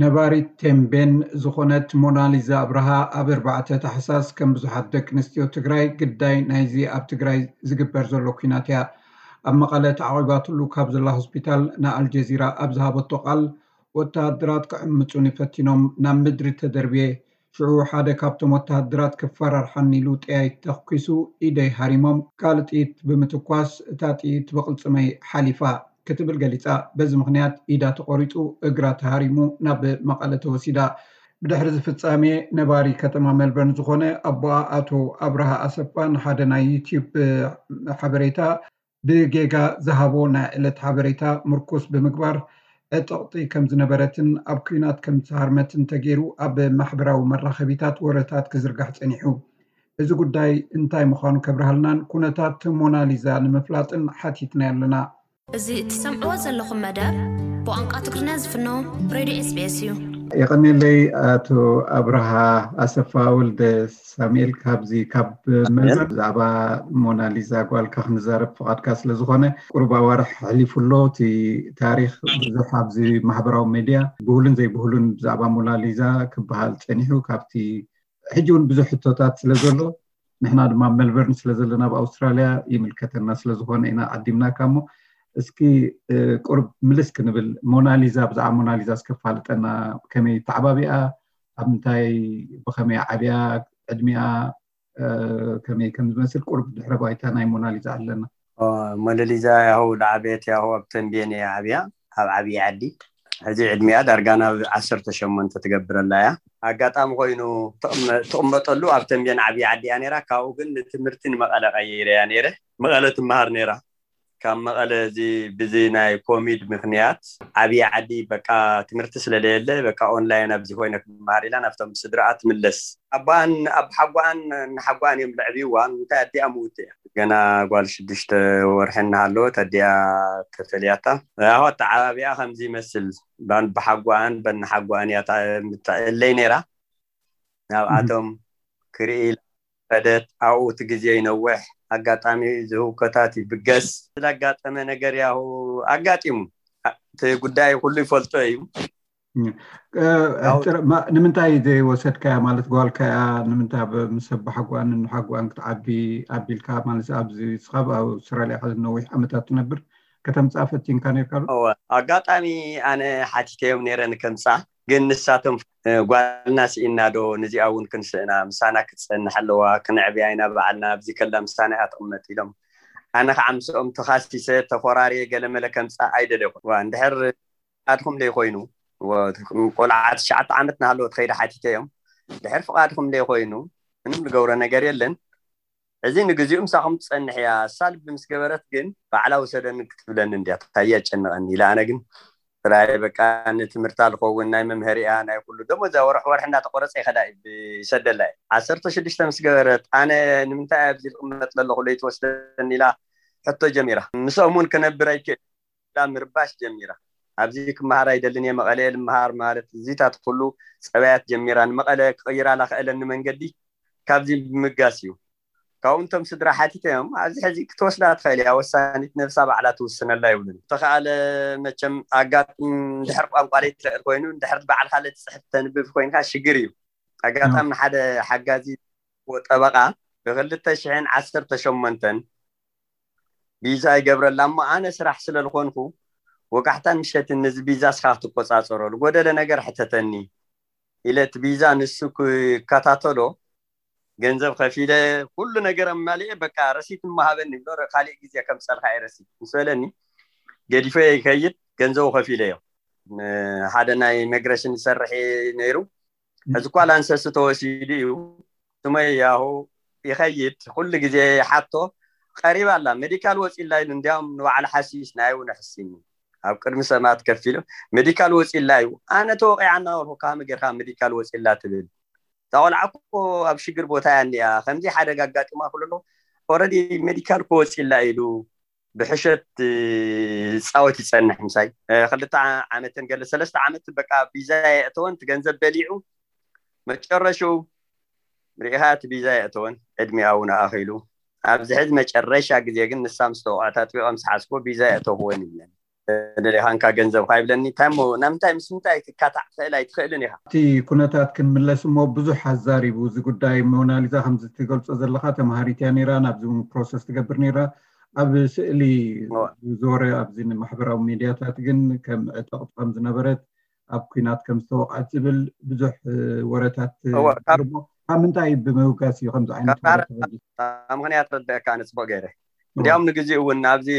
ነባሪት ቴምቤን ዝኾነት ሞናሊዛ ኣብርሃ ኣብ ኣርባዕተ ታሕሳስ ከም ብዙሓት ደቂ ኣንስትዮ ትግራይ ግዳይ ናይዚ ኣብ ትግራይ ዝግበር ዘሎ ኲናት እያ። ኣብ መቐለ ተዓቒባትሉ ካብ ዘላ ሆስፒታል ንኣልጀዚራ ኣብ ዝሃበቶ ቃል፣ ወተሃደራት ክዕምጹኒ ፈቲኖም ናብ ምድሪ ተደርብየ። ሽዑ ሓደ ካብቶም ወተሃደራት ክፈራርሓኒ ኢሉ ጥያይት ተኩሱ ኢደይ ሃሪሞም ካልእ ጥይት ብምትኳስ እታ ጥይት ብቕልጽመይ ሓሊፋ ክትብል ገሊጻ። በዚ ምኽንያት ኢዳ ተቖሪጹ እግራ ተሃሪሙ ናብ መቐለ ተወሲዳ። ብድሕሪ እዚ ፍጻሜ ነባሪ ከተማ ሜልበርን ዝኾነ ኣቦኣ ኣቶ ኣብርሃ ኣሰፋ ንሓደ ናይ ዩትዩብ ሓበሬታ ብጌጋ ዝሃቦ ናይ ዕለት ሓበሬታ ምርኩስ ብምግባር ዕጥቕቲ ከም ዝነበረትን ኣብ ኲናት ከም ዝተሃርመትን ተገይሩ ኣብ ማሕበራዊ መራኸቢታት ወረታት ክዝርጋሕ ጸኒሑ። እዚ ጉዳይ እንታይ ምዃኑ ከብርሃልናን ኩነታት ሞናሊዛ ንምፍላጥን ሓቲትናዮ ኣለና። እዚ እትሰምዕዎ ዘለኹም መደብ ብቋንቋ ትግርኛ ዝፍኖ ሬድዮ ኤስቢኤስ እዩ። የቐንየለይ ኣቶ ኣብርሃ ኣሰፋ ወልደ ሳሙኤል፣ ካብዚ ካብ መልበርን ብዛዕባ ሞናሊዛ ጓልካ ክንዛረብ ፍቓድካ ስለ ዝኾነ፣ ቁሩብ ኣዋርሕ ኣሕሊፉ ኣሎ። እቲ ታሪኽ ብዙሕ ኣብዚ ማሕበራዊ ሜድያ ብሁሉን ዘይብሁሉን ብዛዕባ ሞናሊዛ ክበሃል ጸኒሑ፣ ካብቲ ሕጂ እውን ብዙሕ ሕቶታት ስለ ዘሎ፣ ንሕና ድማ ኣብ መልበርን ስለ ዘለና ኣብ ኣውስትራልያ ይምልከተና ስለ ዝኾነ ኢና ዓዲምናካ። እሞ እስኪ ቁርብ ምልስ ክንብል፣ ሞናሊዛ፣ ብዛዕባ ሞናሊዛ እስከ ፋልጠና። ከመይ ተዓባቢኣ፣ ኣብ ምንታይ፣ ብኸመይ ዓብያ፣ ዕድሚኣ ከመይ ከም ዝመስል ቁርብ ድሕረ ባይታ ናይ ሞናሊዛ ኣለና። ሞናሊዛ ያሁ ዝዓበየት ያሁ ኣብ ተንቤን እያ ዓብያ፣ ኣብ ዓብዪ ዓዲ። ሕዚ ዕድሚኣ ዳርጋ ናብ ዓሰርተ ሸሞንተ ትገብር ኣላ እያ። ኣጋጣሚ ኮይኑ ትቕመጠሉ ኣብ ተንቤን ዓብዪ ዓዲ እያ ነይራ። ካብኡ ግን ንትምህርቲ ንመቐለ ቀይረ እያ ነይረ። መቐለ ትመሃር ነይራ። ካብ መቐለ እዚ ብዚ ናይ ኮሚድ ምኽንያት ዓብዪ ዓዲ በቃ ትምህርቲ ስለለየለ በቃ ኦንላይን ኣብዚ ኮይነ ክመሃር ኢላ ናብቶም ስድራኣ ትምለስ። ኣቦኣን ኣብ ሓጓኣን ንሓጓኣን እዮም ለዕብይዋ። እንታይ ኣዲኣ ምውት እያ ገና ጓል ሽዱሽተ ወርሒ እናሃለወት ኣዲኣ ተፈልያታ። ያሆ ኣተዓባቢኣ ከምዚ ይመስል። ባን ብሓጓኣን በንሓጓኣን እያ ምትዕለይ ነይራ። ናብኣቶም ክርኢ ኢላ ከደት። ኣብኡ እቲ ግዜ ይነውሕ። ኣጋጣሚ ዝህውከታት ይብገስ። ስላጋጠመ ነገር ያሁ ኣጋጢሙ። እቲ ጉዳይ ኩሉ ይፈልጦ እዩ። ንምንታይ ዘይወሰድካያ? ማለት ጓልካ እያ፣ ንምንታይ ምስ ኣቦሓጓን ንሓጓን ክትዓቢ ኣቢልካ? ማለት ኣብዚ ንስኻ ኣብ ኣውስትራልያ ነዊሕ ዓመታት ትነብር፣ ከተምፅኣ ፈቲንካ ነርካ ዶ? ኣጋጣሚ ኣነ ሓቲተዮም ነይረ ንከምፅኣ፣ ግን ንሳቶም ጓልና ስኢና ዶ ነዚኣ እውን ክንስእና፣ ምሳና ክትፀንሕ ኣለዋ፣ ክነዕብያ ኢና ባዕልና፣ ኣብዚ ከላ ምሳና እያ ትቕመጥ ኢሎም። ኣነ ከዓ ምስኦም ተኻሲሰ ተኾራርየ ገለመለ ከምፅኣ ኣይደለኹን። ዋ እንድሕር ፍቓድኹም ዘይኮይኑ፣ ቆልዓ ትሽዓተ ዓመት እናሃለወ ትኸይደ ሓቲተዮም። ድሕር ፍቓድኹም ዘይኮይኑ ምንም ዝገብሮ ነገር የለን። እዚ ንግዚኡ ምሳኹም ትጸንሕ እያ። እሳ ልቢ ምስ ገበረት ግን ባዕላ ውሰደኒ ክትብለኒ እንድያ። እንታይ የጨንቐኒ ኢለ ኣነ ግን ጥራይ በቃ ንትምህርታ ዝኸውን ናይ መምሀሪኣ ናይ ኩሉ ደሞዛ ወርሒ ወርሒ እናተቆረጸ ይኸዳ ይሰደላ እየ። ዓሰርተ ሽዱሽተ ምስ ገበረት ኣነ ንምንታይ ኣብዚ ዝቕመጥ ዘለኹ ለይትወስደኒ ኢላ ሕቶ ጀሚራ። ምስኦም እውን ክነብር ኣይክእል ኢላ ምርባሽ ጀሚራ። ኣብዚ ክመሃር ኣይደልን እየ፣ መቐለ እየ ልመሃር ማለት እዚታት ኩሉ ጸባያት ጀሚራ። ንመቐለ ክቕይራ ላኽእለኒ መንገዲ ካብዚ ብምጋስ እዩ። ካብኡ እንቶም ስድራ ሓቲተዮም ኣብዚ ሕዚ ክትወስዳ ትኽእል እያ፣ ወሳኒት ነብሳ ባዕላ ትውስነላ ይብሉኒ። ተኸኣለ መቸም ኣጋጥም እንድሕር ቋንቋ ለይትኽእል ኮይኑ እንድሕር ባዕልካ ለትፅሕፍ ተንብብ ኮይንካ ሽግር እዩ። ኣጋጣሚ ንሓደ ሓጋዚ ጠበቃ ብክልተ ሽሕን ዓሰርተ ሸሞንተን ቢዛ ይገብረላ እሞ ኣነ ስራሕ ስለ ዝኾንኩ ወጋሕታን ምሸትን ነዚ ቢዛ እስኻ ክትቆፃፀሮ ዝጎደለ ነገር ሕተተኒ ኢለ እቲ ቢዛ ንሱ ክከታተሎ ገንዘብ ከፊለ ኩሉ ነገር ኣማሊኤ በቃ ረሲት እሞ ሃበኒ ብሎ ካሊእ ግዜ ከምፀልካ እየ ረሲት ምስ በለኒ ገዲፈ ይከይድ ገንዘቡ ከፊለዮ ሓደ ናይ ኢሚግሬሽን ዝሰርሕ ነይሩ ሕዚ እኳ ላንሰስ ተወሲዱ እዩ ስመይ ያሁ ይኸይድ ኩሉ ግዜ ሓቶ ቀሪባ ኣላ ሜዲካል ወፂላ ኢሉ እንዲያውም ንባዕሉ ሓሲስ ናይ እውን ሕሲኒ ኣብ ቅድሚ ሰማት ከፊሉ ሜዲካል ወፂላ እዩ ኣነ ተወቂዓ እናበልኩ ካመ ጌርካ ሜዲካል ወፂላ ትብል እታ ቆልዓ እኮ ኣብ ሽግር ቦታ እያ እንዲያ ከምዚ ሓደጋ ኣጋጢማ ክብሎ ኣለኹ ኦረዲ ሜዲካል እኮ ወፂላ ኢሉ ብሕሸት ዝፃወት ይፀንሕ ምሳይ ክልተ ዓመትን ገለ ሰለስተ ዓመት በቃ ቢዛ የእተወን እቲ ገንዘብ በሊዑ መጨረሽኡ ርኢኻ እቲ ቢዛ የእተወን ዕድሚኣ እውን ኣኺሉ ኣብዚ ሕዚ መጨረሻ ግዜ ግን ንሳ ምስ ተወቕዐት ኣጥቢቐ ምስ ሓዝክዎ ቢዛ የእተኽወን ይብለኒ ደሊኻንካ ገንዘብካ ይብለኒ። እንታይ እሞ ናብ ምንታይ ምስ ምንታይ ክትካታዕ ትኽእል ኣይትኽእልን ኢኻ። እቲ ኩነታት ክንምለስ እሞ ብዙሕ ኣዛሪቡ እዚ ጉዳይ። ሞናሊዛ፣ ከምዚ ትገልጾ ዘለኻ ተምሃሪት እያ ነይራ፣ ናብዚ እውን ፕሮሰስ ትገብር ነይራ። ኣብ ስእሊ ዝወረ ኣብዚ ማሕበራዊ ሚድያታት ግን ከም ዕጥቕቲ ከም ዝነበረት፣ ኣብ ኩናት ከም ዝተወቕዐት ዝብል ብዙሕ ወረታት። ካብ ምንታይ ብምብጋስ እዩ ከምዚ ዓይነት ወረ ተበጊሱ? ምክንያት ረዳእካ ኣነ ፅቡቅ ገይረ። እንዲያውም ንግዜኡ እውን ኣብዚ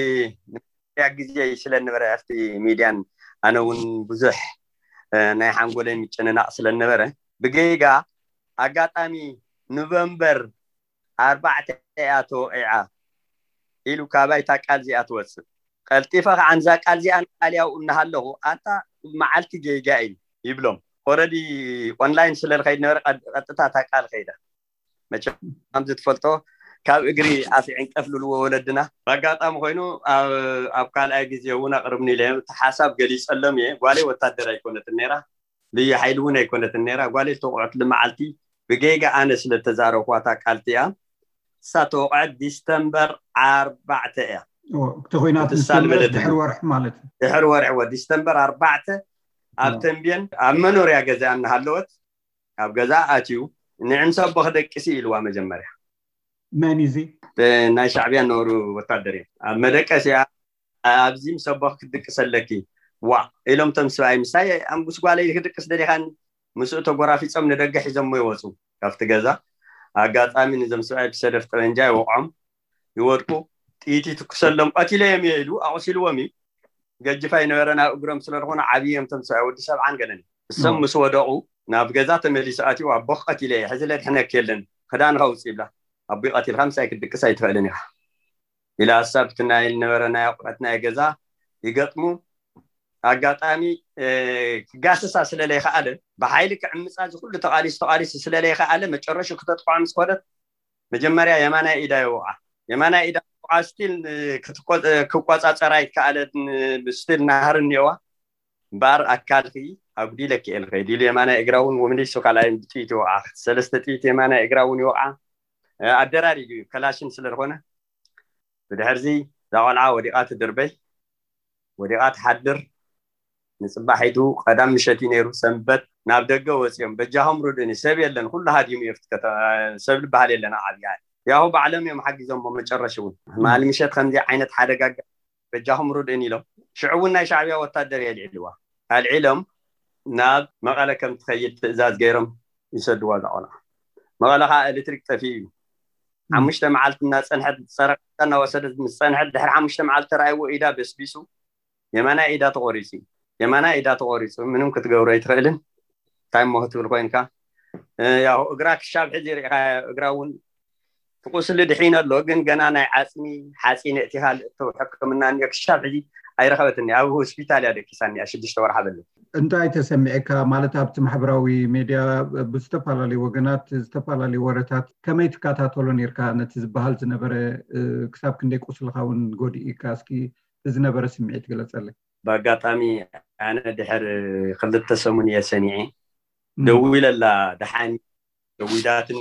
ያ ግዜ ስለነበረ ኣብቲ ሚድያን ኣነ እውን ብዙሕ ናይ ሓንጎለይ ምጭንናቕ ስለነበረ ብጌጋ ኣጋጣሚ ኖቨምበር ኣርባዕተ እያ ተወቒዓ ኢሉ ካባይ እታ ቃል እዚኣ ትወፅእ። ቀልጢፈ ከዓ ንዛ ቃል እዚኣ ንቃል ያው እናሃለኹ ኣታ መዓልቲ ጌጋ እዩ ይብሎም። ኦረዲ ኦንላይን ስለ ዝኸይድ ነበረ ቀጥታ እታ ቃል ከይዳ። መቸም ከምዚ ትፈልጦ ካብ እግሪ ኣፍ ይዕንቀፍ ልልዎ ወለድና። ብኣጋጣሚ ኮይኑ ኣብ ካልኣይ ግዜ እውን ኣቅርብኒ ኢለ እቲ ሓሳብ ገሊፀሎም እየ። ጓለይ ወታደር ኣይኮነትን ነይራ፣ ልዩ ሓይሊ እውን ኣይኮነትን ነይራ። ጓለይ ዝተወቅዐትሉ መዓልቲ ብጌጋ ኣነ ስለ ዝተዛረብኳታ ቃልቲ እያ። እሳ ተወቅዐት ዲስተምበር ኣርባዕተ እያ። እቲ ኩናት ምስ ጀመረ ድሕሪ ወርሒ ማለት እዩ። ድሕሪ ወርሒ ወ ዲስተምበር ኣርባዕተ ኣብ ተንቤን ኣብ መኖርያ ገዛ እናሃለወት ኣብ ገዛ ኣትዩ ንዕምሰ ኣቦ ክደቅሲ ኢልዋ መጀመርያ። መን እዚ? ናይ ሻዕብያ ነበሩ ወታደር እዮም። ኣብ መደቀሲያ ኣብዚ ምስ ኣቦ ክትድቅስ ኣለኪ ዋ ኢሎም ቶም ስብኣይ ምሳይ ምስ ጓለይ ክድቅስ ደሊኻኒ ምስኡ ተጎራፊፆም ንደገ ሒዞሞ ይወፁ ካብቲ ገዛ። ኣጋጣሚ ንዞም ስብኣይ ብሰደፍ ጠበንጃ ይወቕዖም ይወድቁ። ጥይት ይትኩሰሎም ቀቲለዮም እየ ኢሉ ኣቑሲልዎም እዩ። ገጅፋ ይነበረ ናብ እግሮም ስለዝኾነ ዓብዮም ቶም ሰብኣይ ወዲ ሰብዓን ገለን እሶም ምስ ወደቑ ናብ ገዛ ተመሊሱ ኣትዩ ኣቦኽ ቀቲለ እየ ሕዚ ለድሕነክ የለን ክዳንኻ ውፅእ ይብላ። ኣቦይ ቀቲልካ ምሳይ ክትድቅስ ኣይትኽእልን ኢኻ ኢላ እሳ ብቲ ናይ ዝነበረ ናይ ኣቑሑት ናይ ገዛ ይገጥሙ። ኣጋጣሚ ክጋስሳ ስለለይከኣለ ብሓይሊ ክዕምፃ እዚ ኩሉ ተቓሊሱ ተቓሊሱ ስለለይከኣለ መጨረሹ ክተጥቅዖ ምስ ኮደት መጀመርያ የማናይ ኢዳ ይወቕዓ። የማናይ ኢዳ ወቕዓ ስቲል ክቆፃፀራ ይከኣለ ስቲል ናህር እኒኦዋ እምበኣር ኣካልኪ ኣጉዲለኪ እየ ልኸይድ ኢሉ የማናይ እግራ እውን ወምሊሱ ካልኣይ ብጥይት ይወቕዓ። ሰለስተ ጥይት የማናይ እግራ እውን ይወቕዓ። ኣደራሪጉ እዩ ከላሽን ስለዝኾነ ብድሕርዚ እዛ ቆልዓ ወዲቓ ትድርበይ ወዲቓ ትሓድር። ንፅባሒቱ ቀዳም ምሸት እዩ ነይሩ ሰንበት ናብ ደገ ወፂኦም በጃኹም ርድእኒ ሰብ የለን ኩሉ ሃዲሙ እዩ። ሰብ ዝበሃል የለን ኣብ ዓብያ ያሁ ባዕሎም እዮም ሓጊዞሞ መጨረሽ እውን ማል ምሸት ከምዚ ዓይነት ሓደጋ በጃኹም ርድእኒ ኢሎም ሽዑ እውን ናይ ሻዕብያ ወታደር የልዒልዋ ኣልዒሎም ናብ መቐለ ከም ትኸይድ ትእዛዝ ገይሮም ይሰድዋ እዛ ቆልዓ። መቐለ ከዓ ኤሌክትሪክ ጠፊኡ እዩ። ሓሙሽተ መዓልቲ እናፀንሐት ፀረቃ እናወሰደት ምስ ፀንሐት ድሕሪ ሓሙሽተ መዓልቲ ተረኣይዎ ኢዳ በስቢሱ የማናይ ኢዳ ተቆሪፁ እዩ። የማናይ ኢዳ ተቆሪፁ ምንም ክትገብሮ ኣይትኽእልን። እንታይ እሞ ክትብል ኮይንካ ያው እግራ ክሻብ ሕዚ ርኢኻ እግራ እውን ትቁስሊ ድሒን ኣሎ ግን ገና ናይ ዓፅሚ ሓፂን እቲኻ ሕክምና እኒኦ ክሻብ ሕዚ ኣይረኸበትኒ ኣብ ሆስፒታል እያ ደቂሳ እኒኣ ሽዱሽተ ወርሓ በለ። እንታይ ተሰሚዐካ ማለት ኣብቲ ማሕበራዊ ሜድያ ብዝተፈላለዩ ወገናት ዝተፈላለዩ ወረታት ከመይ ትከታተሎ ነርካ ነቲ ዝበሃል ዝነበረ ክሳብ ክንደይ ቁስልካ እውን ጎዲእካ እስኪ ዝነበረ ስምዒት ግለፀለይ። ብኣጋጣሚ ኣነ ድሕር ክልተ ሰሙን እየ ሰኒዐ ደዊለላ ደሓን ደዊዳትኒ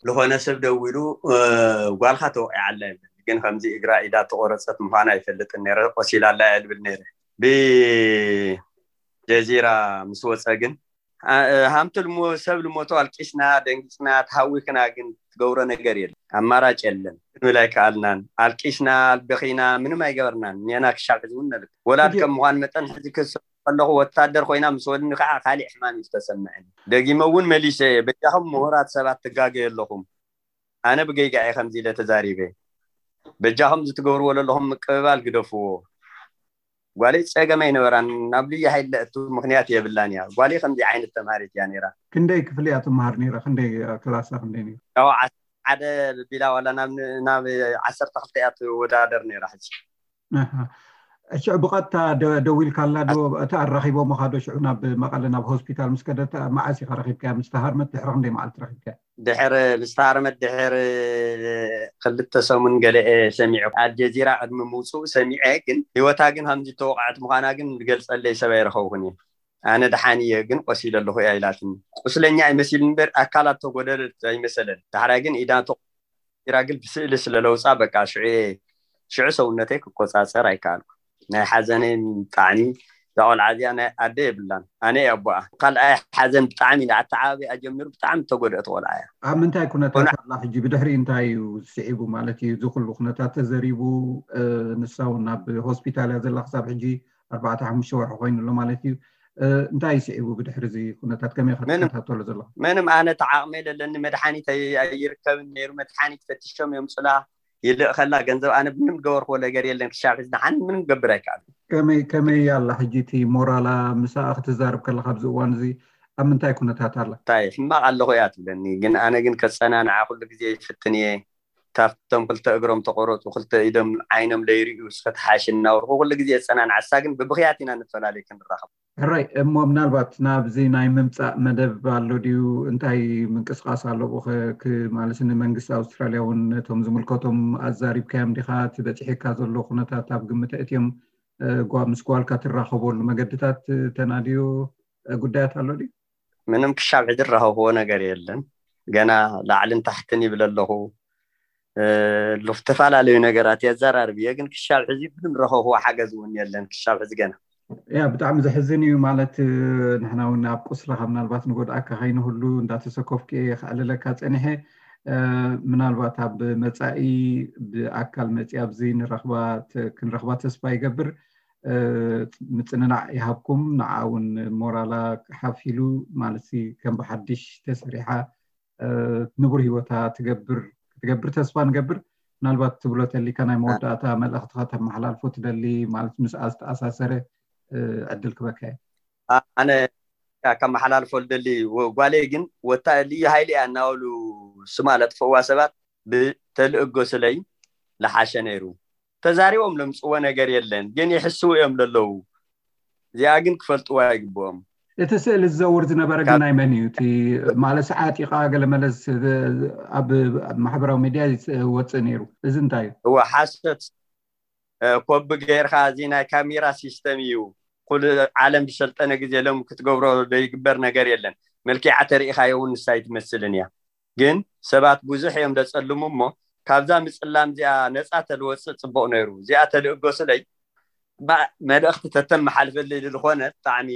ዝኾነ ሰብ ደዊሉ ጓልካ ተወቂዓ ኣላ ይብል ግን ከምዚ እግራ ኢዳ ተቆረፀት ምኳና ኣይፈልጥን ነረ ቆሲላ ኣላ እያ ልብል ነረ ብጀዚራ ምስ ወፀ ግን ሃምቲ ልሞ ሰብ ልሞቶ ኣልቂስና ደንጊፅና ተሃዊክና ግን ትገብሮ ነገር የለን ኣማራጭ የለን ክንብል ኣይከኣልናን ኣልቂስና በኺና ምንም ኣይገበርናን ኔና ክሻብ ሕዚ እውን ነብል ወላድ ከም ምኳን መጠን ሕዚ ክስ ከለኹ ወታደር ኮይና ምስ ወድኒ ከዓ ካሊእ ሕማም እዩ ዝተሰምዐኒ። ደጊመ እውን መሊሰ እየ በጃኹም ምሁራት ሰባት ትጋገዩ ኣለኹም። ኣነ ብገይጋ እየ ከምዚ ኢለ ተዛሪበ። በጃኹም እዚ ትገብርዎ ዘለኹም ምቅብባል ግደፍዎ። ጓለይ ፀገም ኣይነበራን ናብ ልዩ ሓይሊ ለእቱ ምክንያት የብላን እያ። ጓለይ ከምዚ ዓይነት ተምሃሪት እያ ነይራ። ክንደይ ክፍሊ እያ ትመሃር ነይራ? ክንደይ ክላሳ ክንደይ ነይሩ? ያው ዓሰርተ ሓደ ቢላ ዋላ ናብ ዓሰርተ ክልተ እያ ትወዳደር ነይራ ሕጂ። ሽዑ ብቐጥታ ደዊልካላ ዶ? እቲ ኣራኺቦምኻ ዶ? ሽዑ ናብ መቐለ ናብ ሆስፒታል ምስ ከደት መዓስ ኢኻ ረኺብካያ? ምስ ተሃርመት ድሕሪ ክንደይ መዓልቲ ረኺብካያ? ድሕሪ ምስ ተሃርመት ድሕሪ ክልተ ሰሙን ገለ እየ ሰሚዐ። ኣልጀዚራ ቅድሚ ምውፅኡ ሰሚዐ፣ ግን ህይወታ ግን ከምዚ ተወቕዐት ምዃና ግን ዝገልፀለይ ሰብ ኣይረኸብኩን እየ። ኣነ ደሓን እየ ግን ቆሲለ ኣለኹ እያ ኢላትኒ። ቁስለኛ ኣይመሲልን እምበር ኣካላት ተጎደለት ኣይመሰለን። ዳሕራይ ግን ኢዳ ተቆሲራ ግን ብስእሊ ስለ ለውፃ በቃ ሽዑ እየ ሽዑ ሰውነተይ ክቆፃፀር ኣይከኣልኩ። ናይ ሓዘነይ ብጣዕሚ፣ እዛ ቆልዓ እዚኣ ናይ ኣደ የብላን፣ ኣነ እየ ኣቦኣ። ካልኣይ ሓዘን ብጣዕሚ ኣተዓባቢኣ ጀሚሩ ብጣዕሚ ተጎድአት ቆልዓ እያ። ኣብ ምንታይ ኩነታት ኮነ- ኣላ ሕጂ? ብድሕሪ እንታይ እዩ ስዒቡ ማለት እዩ? እዚ ኩሉ ኩነታት ተዘሪቡ፣ እ፣ ንሳ እውን ናብ ሆስፒታል እያ ዘላ ክሳብ ሕጂ ኣርባዕተ ሓሙሽተ ወርሒ ኮይኑ ኣሎ ማለት እዩ። እ፣ እንታይ እዩ ስዒቡ ብድሕሪ እዚ ኩነታት? ከመይ ኢኻ ምንም- ትከታተሎ ዘለኻ? ምንም፣ ኣነ ተዓቕመ ለለኒ፣ መድሓኒት ኣይ- ኣይርከብን ነይሩ። መድሓኒት ፈቲሾም የምፁላ፣ ይልእኸላ፣ ገንዘብ ኣነ ምንም ገበርክዎ ነገር የለን። ክሻብ ሕዚ ንሓን ምንም ገብር ኣይከኣል። ከመይ ከመይ ኣላ ሕጂ? እቲ ሞራላ ምሳኣ ክትዛረብ ከለካ ኣብዚ እዋን እዚ ኣብ ምንታይ ኩነታት ኣላ? እንታይ ሕማቕ ኣለኹ እያ ትብለኒ፣ ግን ኣነ ግን ከፀናንዓ ኩሉ ግዜ ይፍትን እየ። ካብቶም ክልተ እግሮም ተቆረፁ፣ ክልተ ኢዶም ዓይኖም ለይርእዩ እስከ ተሓሽ እናበልኩ ኩሉ ግዜ የፀናንዓ። እሳ ግን ብብኽያት ኢና ንፈላለይ ክንራኸብ። ሕራይ እሞ ምናልባት ናብዚ ናይ ምምፃእ መደብ ኣሎ ድዩ? እንታይ ምንቅስቃስ ኣሎ ብኸ ማለት ንመንግስቲ ኣውስትራልያ እውን ነቶም ዝምልከቶም ኣዛሪብካዮም ዲኻ? እቲ በፂሒካ ዘሎ ኩነታት ኣብ ግምት እትዮም እ፣ ጓ- ምስ ጓልካ ትራኸበሉ መገድታት እ፣ ተናድዮ እ፣ ጉዳያት ኣሎ ድዩ? ምንም ክሻብ ሕጂ ዝራኸብዎ ነገር የለን። ገና ላዕልን ታሕትን ይብል ኣለኹ። እ፣ ዝተፈላለዩ ነገራት የዘራርብ እየ፣ ግን ክሻብ ሕዚ ምንም ረኸብዎ ሓገዝ እውን የለን ክሻብ ሕዚ ገና። ያ ብጣዕሚ ዘሕዝን እዩ። ማለት እ፣ ንሕና እውን ኣብ ቁስልኻ ምናልባት ንጎድኣካ ከይንህሉ እንዳተሰኮፍኩ እየ ከዕልለካ ፀኒሐ። እ፣ ምናልባት ኣብ መፃኢ ብኣካል መፂ ኣብዚ ንረኽባ ተ- ክንረኽባ ተስፋ ይገብር። እ፣ ምጽንናዕ ይሃብኩም። ንዓ እውን ሞራላ ሓፍ ኢሉ ማለት ሲ ከም ብሓድሽ ተሰሪሓ እ፣ ንቡር ህይወታ ትገብር ክትገብር ተስፋ ንገብር። ምናልባት ትብሎ ተሊካ ናይ መወዳእታ መልእኽትኻ ተመሓላልፎ ትደሊ ማለት ምስኣ ዝተኣሳሰረ እ፣ ዕድል ክበካ እየ። ኣነ ከመሓላልፎ ልደሊ ወ- ጓለይ ግን ወታ ልዩ ሃይሊ እያ እናበሉ ስማ ለጥፈዋ ሰባት ብተልእጎ ስለይ ለሓሸ ነይሩ። ተዛሪቦም ለምፅዎ ነገር የለን፣ ግን ይሕስው እዮም ለለዉ። እዚኣ ግን ክፈልጥዋ ይግብኦም። እቲ ስእሊ ዝዘውር ዝነበረ ግን ናይ መን እዩ? እቲ ማለት ዓጢቓ ገለመለ ዝ- ኣብ ኣብ ማሕበራዊ ሚድያ ይወፅእ ነይሩ። እዚ እንታይ እዩ? እወ ሓሶት እ፣ ኮቢ ገይርካ፣ እዚ ናይ ካሜራ ሲስተም እዩ። ኩሉ ዓለም ዝሰልጠነ ግዜ ሎም ክትገብሮ ዘይግበር ነገር የለን። መልኪዓ ተሪኢኻዮ እውን ንሳ ኣይትመስልን እያ። ግን ሰባት ብዙሕ እዮም ደጸልሙ እሞ ካብዛ ምጽላም እዚኣ ነጻ ተልወጽእ ጽቡቕ ነይሩ። እዚኣ ተልእጎ ስለይ ባ- መልእኽቲ ተተመሓልፈልይ ዝኾነ ብጣዕሚ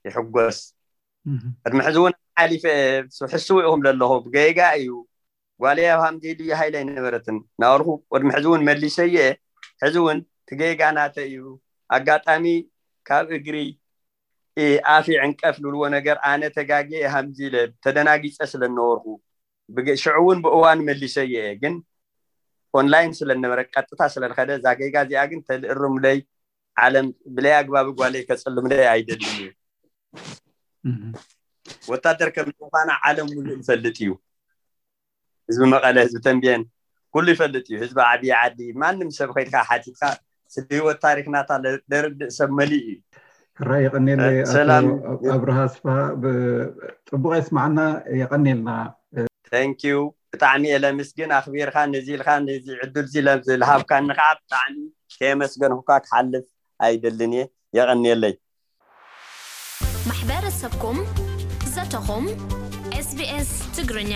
ይሕጎስ። እህ። ቅድሚ ሕዚ እውን ሓሊፈ እየ፣ ሕስው ኢኹም ለለኹ ብገጋ እዩ። ጓለይ ኣብ ሃምዚ ኢሉ ይሃይለ ኣይነበረትን ናበልኩ ቅድሚ ሕዚ እውን መሊሰ እየ። ሕዚ እውን ትገጋ ናተ እዩ። ኣጋጣሚ ካብ እግሪ እ፣ ኣፍ ይዕንቀፍ ልብልዎ ነገር ኣነ ተጋጊየ ሃምዚ ኢለ ተደናጊፀ ስለ ነበርኩ ብገ- ሽዑ እውን ብእዋን መሊሰ እየ። ግን ኦንላይን ስለ ነበረ ቀጥታ ስለ ዝኸደ እዛ ጌጋ እዚኣ ግን ተልእርምለይ ዓለም ብለይ ኣግባብ ጓለይ ከፅልምለይ ኣይደልን እዩ። እህ። ወታደር ከም ምዃና ዓለም ሙሉእ ይፈልጥ እዩ። ህዝቢ መቐለ፣ ህዝቢ ተንቤን ኩሉ ይፈልጥ እዩ። ህዝቢ ዓብዪ ዓዲ ማንም ሰብ ከይድካ ሓቲትካ ስለ ህይወት ታሪክ ናታ ለ- ለርድእ ሰብ መሊእ እዩ። ሕራይ የቐንየለይ ኣቶ ሰላም። ኣብርሃ ኣስፍሃ፣ ብ- ጽቡቕ የስማዕና። የቐንየልና። Thank you። ብጣዕሚ እየ ለምስግን ኣኽቢርካ ነዚ ኢልካ ነዚ ዕድል ዚ ለብ- ዝልሃብካኒ ከዓ ብጣዕሚ ከየመስገንኩካ ክሓልፍ ኣይደልን እየ። የቐንየለይ። ማሕበረሰብኩም ዘተኹም ኤስቢኤስ ትግርኛ